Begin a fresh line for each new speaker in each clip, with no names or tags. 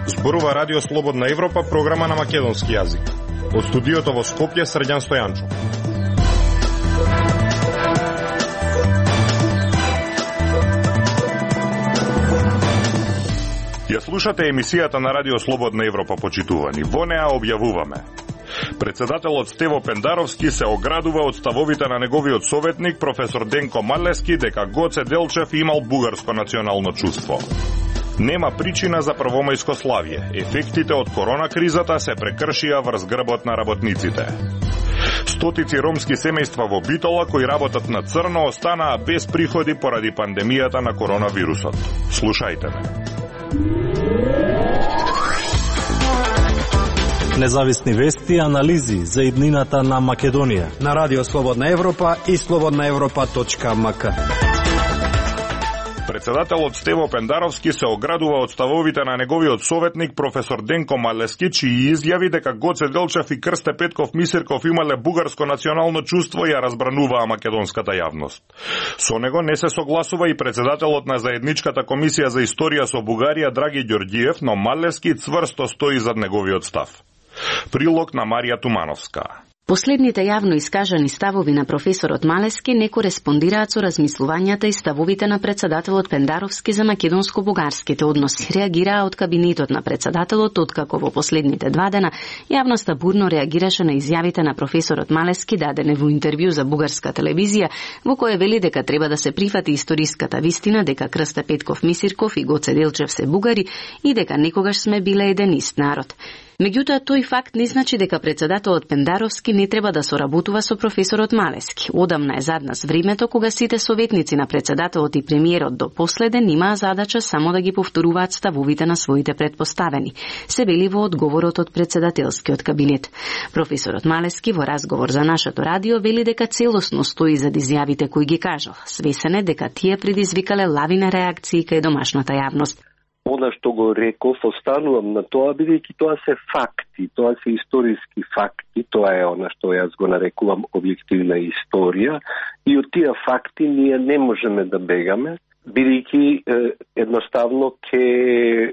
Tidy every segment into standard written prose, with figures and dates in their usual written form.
Зборува Радио Слободна Европа, програма на македонски јазик. Од студиото во Скопје, Срđan Стојанчов. Ја слушате емисијата на Радио Слободна Европа, почитувани. Во неа објавуваме: председателот Стево Пендаровски се оградува од ставовите на неговиот советник професор Денко Малески дека Гоце Делчев имал бугарско национално чувство. Нема причина за првомајско славје. Ефектите од корона кризата се прекршија врз грбот на работниците. Стотици ромски семејства во Битола кои работат на црно останаа без приходи поради пандемијата на коронавирусот. Слушајте ме.
Независни вести и анализи за иднината на Македонија
на Радио Слободна Европа и slobodnaevropa.mk.
Председателот Стево Пендаровски се оградува од ставовите на неговиот советник професор Денко Малески, чии изјави дека Гоце Делчев и Крсте Петков Мисирков имале бугарско национално чувство ја разбрануваа македонската јавност. Со него не се согласува и председателот на заедничката комисија за историја со Бугарија Драги Ѓорѓиев, но Малески цврсто стои зад неговиот став. Прилог на Марија Тумановска.
Последните јавно искажани ставови на професорот Малески не кореспондираат со размислувањата и ставовите на председателот Пендаровски за македонско-бугарските односи. Реагираа од кабинетот на председателот, откако во последните 2 дена јавноста бурно реагираше на изјавите на професорот Малески дадене во интервју за бугарска телевизија, во кое вели дека треба да се прифати историската вистина дека Крсте Петков Мисирков и Гоце Делчев се бугари и дека некогаш сме биле еден ист народ. Меѓутоа, тој факт не значи дека председателот Пендаровски не треба да соработува со професорот Малески. Одамна е зад нас времето кога сите советници на председателот и премиерот до последен имаа задача само да ги повторуваат ставовите на своите предпоставени, се вели во одговорот од председателскиот кабинет. Професорот Малески во разговор за нашето радио вели дека целосно стои зад изјавите кои ги кажал. Свесен е дека тие предизвикале лавина реакции кај домашната јавност.
Она што го реков, останувам на тоа, бидејќи тоа се факти, тоа се историски факти, тоа е она што јас го нарекувам објективна историја, и од тие факти ние не можеме да бегаме, бидејќи едноставно ќе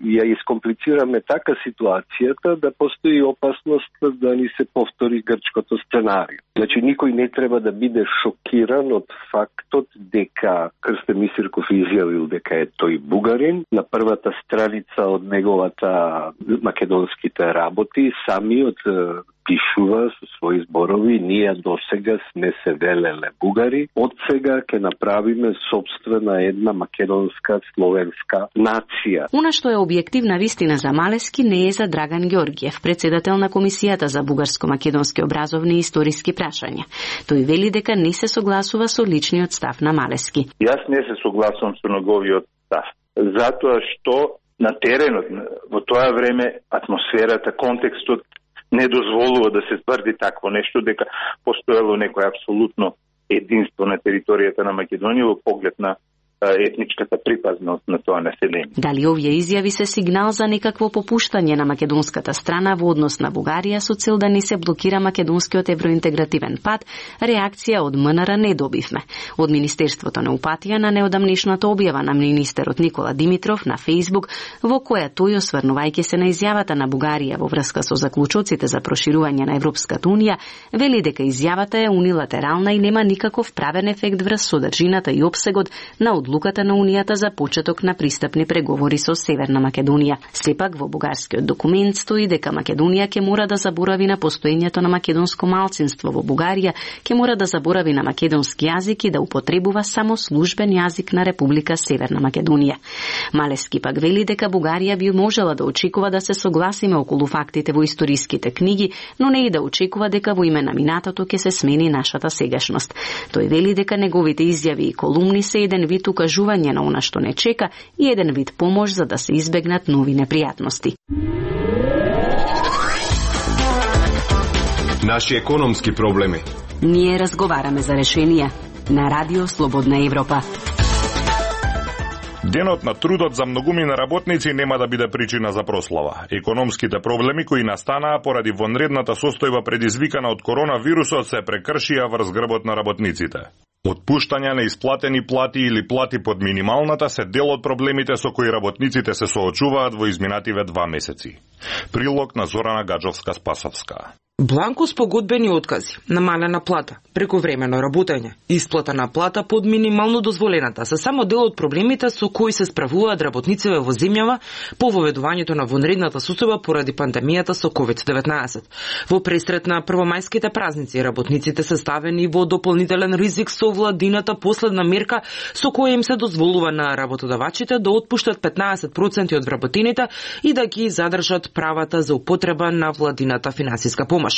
ја искомплицираме така ситуацијата да постои опасност да ни се повтори грчкото сценарио. Значи, никој не треба да биде шокиран од фактот дека Крсте Мисирков изјавил дека е тој бугарин. На првата страница од неговата македонските работи самиот пишува со своји зборови: ние досега сме се велеле бугари, од сега ќе направиме собствена една македонска словенска нација.
Она што е објективна вистина за Малески не е за Драган Ѓорѓиев, председател на Комисијата за бугарско-македонски образовни и историски прашања. Тој вели дека не се согласува со личниот став на Малески.
Јас не се согласувам со неговиот став, затоа што на теренот во тоа време атмосферата, контекстот не дозволува да се тврди такво нешто, дека постоело некој апсолутно единство на територијата на Македонија во поглед на етничката припазност на тоа население.
Дали овие изјави се сигнал за некакво попуштање на македонската страна во однос на Бугарија со цел да не се блокира македонскиот евроинтегративен пат, реакција од МНР не добивме. Од Министерството не упатија на неодамнешната објава на министерот Никола Димитров на Фејсбук, во која тој, осврнувајќи се на изјавата на Бугарија во врска со заклучоците за проширување на Европската унија, вели дека изјавата е унилатерална и нема никаков правен ефект врз содржината и опсегот на одлуката на Унијата за почеток на пристапни преговори со Северна Македонија. Сепак во бугарскиот документ стои дека Македонија ќе мора да заборави на постоењето на македонско малцинство во Бугарија, ќе мора да заборави на македонски јазик и да употребува само службен јазик на Република Северна Македонија. Малески пак вели дека Бугарија би можела да очекува да се согласиме околу фактите во историските книги, но не и да очекува дека во име на минатото ќе се смени нашата сегашност. Тој вели дека неговите изјави и колумни се еден вид укажување на она што не чека и еден вид помош за да се избегнат нови непријатности.
Наши економски проблеми.
Ние разговараме за решенија на Радио Слободна Европа.
Денот на трудот за многумина работници нема да биде причина за прослава. Економските проблеми кои настанаа поради вонредната состојба предизвикана од коронавирусот се прекршија врз грбот на работниците. Отпуштања на исплатени плати или плати под минималната се дел од проблемите со кои работниците се соочуваат во изминативе 2 месеци. Прилог на Зорана Гаджовска-Спасовска.
Бланко спогодбени откази, намалена плата, прековремено работење, исплата на плата под минимално дозволената се само дел од проблемите со кои се справуваат работниците во земјава по воведувањето на вонредната состојба поради пандемијата со COVID-19. Во пресрет на првомајските празници, работниците се ставени во дополнителен ризик со владината последна мерка со која им се дозволува на работодавачите да отпуштат 15% од вработените и да ги задржат правата за употреба на владината финансиска помош.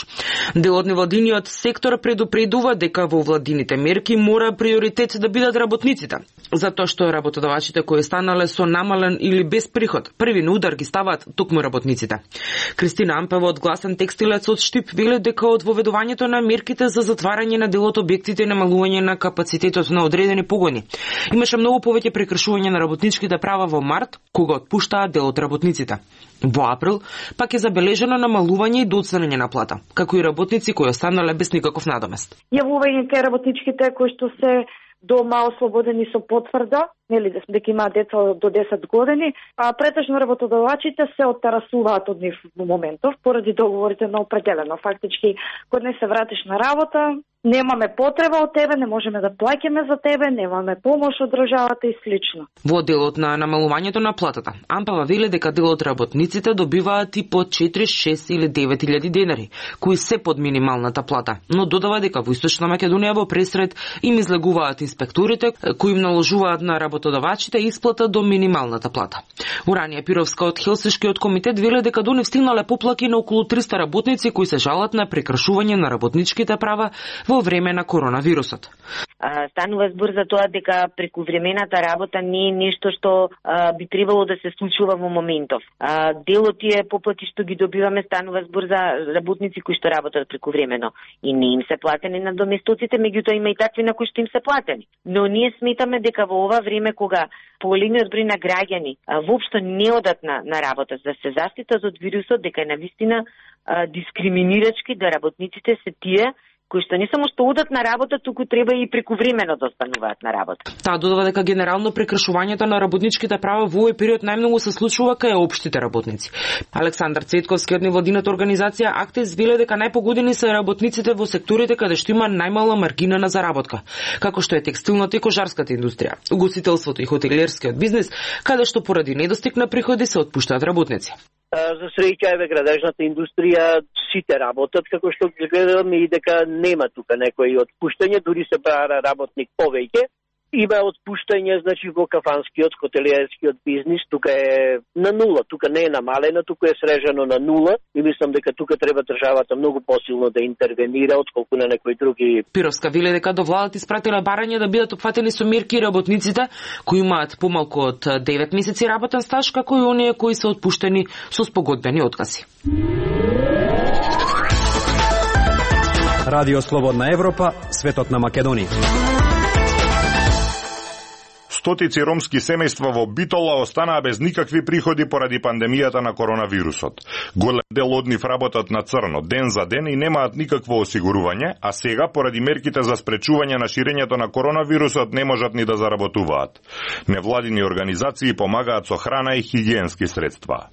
Дел од невладиниот сектор предупредува дека во владините мерки мора приоритет да бидат работниците, затоа што работодавачите кои станале со намален или без приход, први на удар ги ставаат токму работниците. Кристина Ампева од Гласен текстилец од Штип вели дека од воведувањето на мерките за затварање на дел од објектите и намалување на капацитетот на одредени погони имаше многу повеќе прекршување на работничките права во март, кога отпуштаа дел од работниците. Во април пак е забележено намалување и доцнење на плата, како и работници кои останале без никаков надомест.
Јавување кај работничките кои што се дома ослободени со потврда, нели дека имаат деца до 10 години, а претежно работодавачите се оттарасуваат од нив во моментов поради договорите на определено. Фактички, кога не се вратиш на работа, немаме потреба од тебе, не можеме да плаќаме за тебе, немаме помош од државата и слично.
Во делот на намалувањето на платата, Ампава вели дека дел од работниците добиваат и по 4, 6 или 9.000 денари, кои се под минималната плата, но додава дека во Источна Македонија во пресрет им излегуваат инспекторите кои им наложуваат на работодавачите исплата до минималната плата. Уранија Пировска од Хелсиншкиот комитет вели дека до нив стигнале поплаки на околу 300 работници кои се жалат на прекршување на работничките права во време на коронавирусот.
Станува збор за тоа дека прековремената работа не е нешто што би требало да се случува во моментов. Дел од тие поплати што ги добиваме станува збор за работници кои што работат прековремено и не им се платени на доместоците, меѓутоа има и такви на кои што им се платени. Но ние сметаме дека во ова време кога поголемиот број на граѓани воопшто не одат на работа за се заштитат од вирусот, дека е навистина дискриминирачки да работниците се тие кои што не само што одат на работа, туку треба и прековремено да остануваат на работа.
Таа додава дека генерално прекршувањето на работничките права во овој период најмногу се случува кај општите работници. Александар Цветковски од невладината организација Актес вели дека најпогодени се работниците во секторите каде што има најмала маргина на заработка, како што е текстилната и кожарската индустрија, угостителството и хотелиерскиот бизнис, каде што поради недостиг на приходи се отпуштаат работници.
За среќа еве градежната индустрија сите работат како што ги гледам и дека нема тука некои отпуштање, дури се бара работник повеќе. Има отпуштање, значи во кафанскиот, хотелиерскиот бизнис, тука е на нула, тука не е намалено, тука е срежано на нула и мислам дека тука треба државата многу посилно да интервенира отколку на некои други.
Пировска вели дека до владата испратила барање да бидат опфатени со мерки работниците кои имаат помалку од 9 месеци работен стаж, како и оние кои се отпуштени со спогодбени откази.
Радио Слободна Европа, светот на Македонија.
Стотици ромски семејства во Битола останаа без никакви приходи поради пандемијата на коронавирусот. Голем дел од нив работат на црно, ден за ден и немаат никакво осигурување, а сега, поради мерките за спречување на ширењето на коронавирусот, не можат ни да заработуваат. Невладини организации помагаат со храна и хигиенски средства.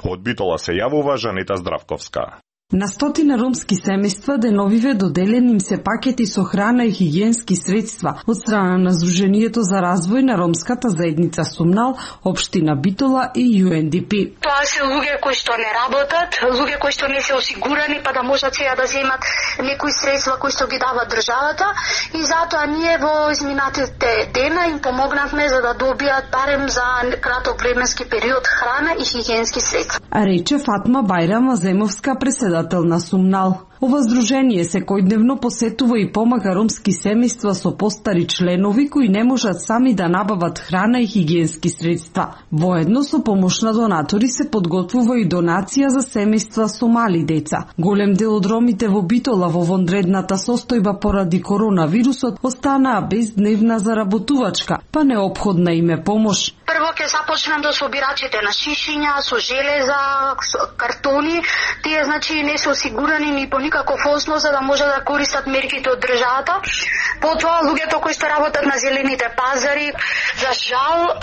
Од Битола се јавува Жанета Здравковска.
На стотина ромски семејства деновиве доделени им се пакети со храна и хигиенски средства од страна на Сдруженијето за развој на ромската заедница Сумнал, општина Битола и UNDP.
Тоа се луѓе кои што не работат, луѓе кои што не се осигурани, па да можат сега да земат некои средства кои што ги дава државата и затоа ние во изминатите дена им помогнавме за да добијат барем за краток временски период храна и хигиенски средства.
А рече Фатма Бајрама Земовска, председател на Сумнал. Ова здружение секојдневно посетува и помага ромски семејства со постари членови кои не можат сами да набават храна и хигиенски средства. Воедно со помош на донатори се подготвува и донација за семејства со мали деца. Голем дел од ромите во Битола во вонредната состојба поради коронавирусот останаа без дневна заработувачка, па неопходна им е помош.
Прво ќе започнам до собирачите на шишиња, со железа, со картони. Тие значи не се осигурани ни по никаков основ за да може да користат мерките од државата. Потоа луѓето кои што работат на зелените пазари, за жал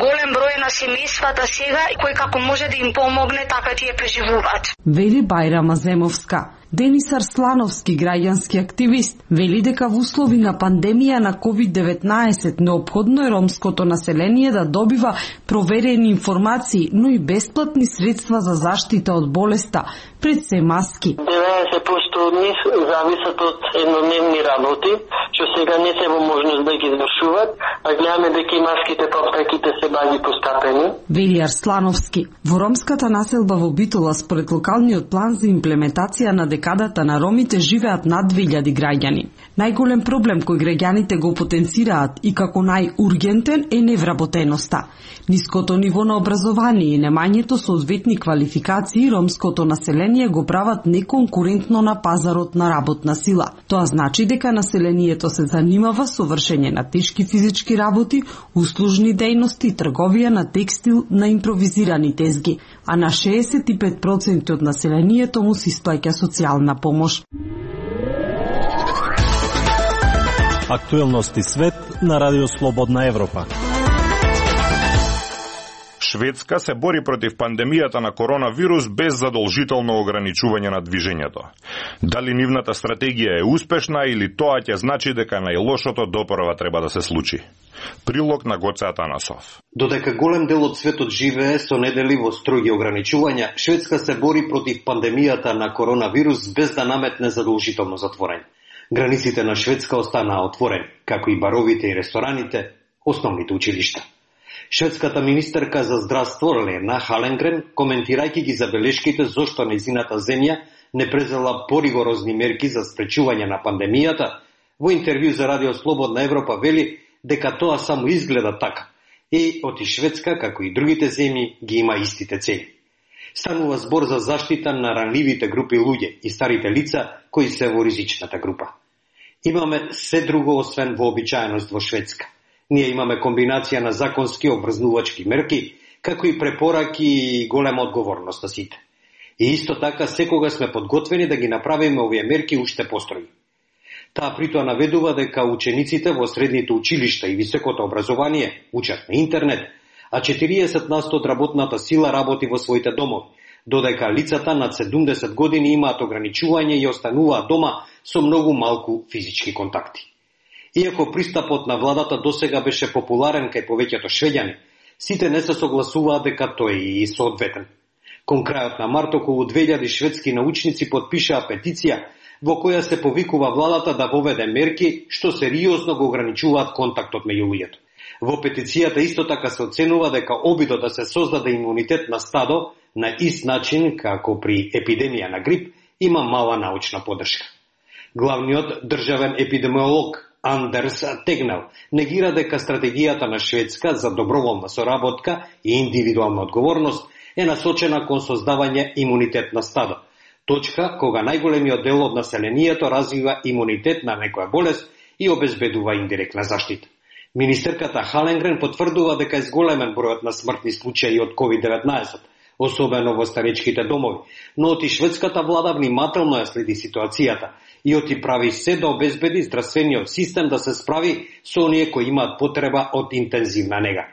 голем број на семејствата сега кои како може да им помогне, така тие преживуваат.
Вели Бајрама Земовска. Денис Арслановски, граѓански активист, вели дека во услови на пандемија на COVID-19 неопходно е ромското население да добива проверени информации, но и бесплатни средства за заштита од болеста, пред се маски.
90% од нив зависат од еднодневни работи, што сега не се во можност да ги извршуваат, а гледаме дека и маските по аптеките се баги постапени.
Вели Арслановски. Во ромската населба во Битола, според локалниот план за имплементација на декадата на ромите, живеат над 2000 граѓани. Најголем проблем кој граѓаните го потенцираат и како најургентен е невработеноста. Ниското ниво на образование и немањето соодветни квалификации ромското население го прават неконкурентно на пазарот на работна сила. Тоа значи дека населението се занимава со вршење на тешки физички работи, услужни дејности, трговија на текстил, на импровизирани тезги, а на 65% од населението му се исплаќа социјална помош.
Актуелности свет на Радио Слободна Европа.
Шведска се бори против пандемијата на коронавирус без задолжително ограничување на движењето. Дали нивната стратегија е успешна или тоа ќе значи дека најлошото допрва треба да се случи? Прилог на Гоце Атанасов.
Додека голем дел од светот живее со неделиво строги ограничувања, Шведска се бори против пандемијата на коронавирус без да наметне задолжително затворање. Границите на Шведска останаа отворени, како и баровите и рестораните, основните училишта. Шведската министерка за здравство Лена Халенгрен, коментирајќи ги забелешките зошто нејзината земја не презела поригорозни мерки за спречување на пандемијата, во интервју за Радио Слободна Европа вели дека тоа само изгледа така и оти Шведска, како и другите земји, ги има истите цели. Станува збор за заштита на ранливите групи луѓе и старите лица кои се во ризичната група. Имаме се друго освен вообичаеност во Шведска. Ние имаме комбинација на законски обврзнувачки мерки, како и препораки и голема одговорност на сите. И исто така секога сме подготвени да ги направиме овие мерки уште построги. Таа притоа наведува дека учениците во средните училишта и високото образование учат на интернет, а 40% од работната сила работи во своите домови, додека лицата над 70 години имаат ограничување и остануваат дома со многу малку физички контакти. Иако пристапот на владата досега беше популарен кај повеќето швеѓани, сите не се согласуваат дека тој е и соодветен. Кон крајот на март околу 2000 шведски научници подпишаа петиција во која се повикува владата да воведе мерки што сериозно го ограничуваат контактот меѓу луѓето. Во петицијата исто така се оценува дека обидот да се создаде имунитет на стадо на ист начин како при епидемија на грип има мала научна поддршка. Главниот државен епидемиолог Андерс Тегнел негира дека стратегијата на Шведска за доброволна соработка и индивидуална одговорност е насочена кон создавање имунитет на стадо, точка кога најголемиот дел од населението развива имунитет на некоја болест и обезбедува индиректна заштита. Министерката Халенгрен потврдува дека е зголемен бројот на смртни случаи од COVID-19, особено во старечките домови, но оти шведската влада внимателно ја следи ситуацијата и оти прави се да обезбеди здравствениот систем да се справи со оние кои имаат потреба од интензивна нега.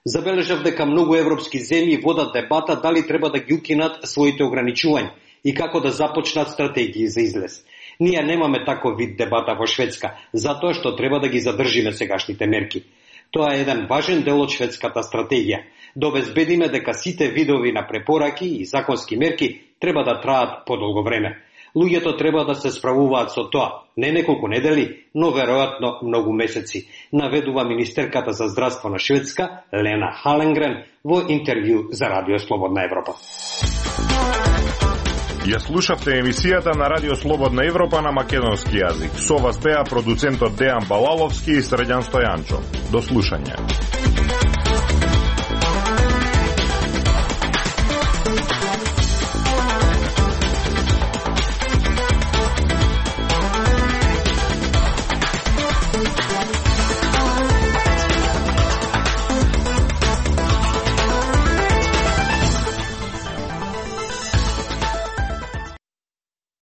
Забележав дека многу европски земји водат дебата дали треба да ги укинат своите ограничувања и како да започнат стратегии за излез. Ние немаме таков вид дебата во Шведска, затоа што треба да ги задржиме сегашните мерки. Тоа е еден важен дел од шведската стратегија, да обезбедиме дека сите видови на препораки и законски мерки треба да траат подолго време. Луѓето треба да се справуваат со тоа, не неколку недели, но веројатно многу месеци, наведува министерката за здравство на Шведска, Лена Халенгрен, во интервју за Радио Слободна Европа.
Ја слушавте емисијата на Радио Слободна Европа на македонски јазик. Со вас беа продуцентот Дејан Балаловски и Средјан Стојанчо. До слушање.